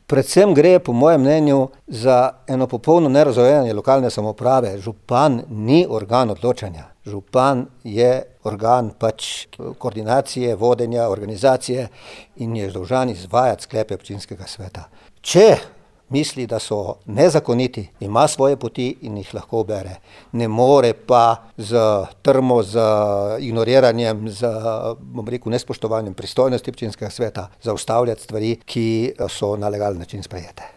Predvsem gre, po mojem mnenju, za eno popolno nerazumevanje lokalne samouprave. Župan ni organ odločanja. Župan je organ koordinacije, vodenja, organizacije in je dolžan izvajati sklepe občinskega sveta. Če misli, da so nezakoniti, ima svoje poti in jih lahko ubere. Ne more pa z trmo, z ignoriranjem, z, nespoštovanjem pristojnosti občinskega sveta zaustavljati stvari, ki so na legalen način sprejete.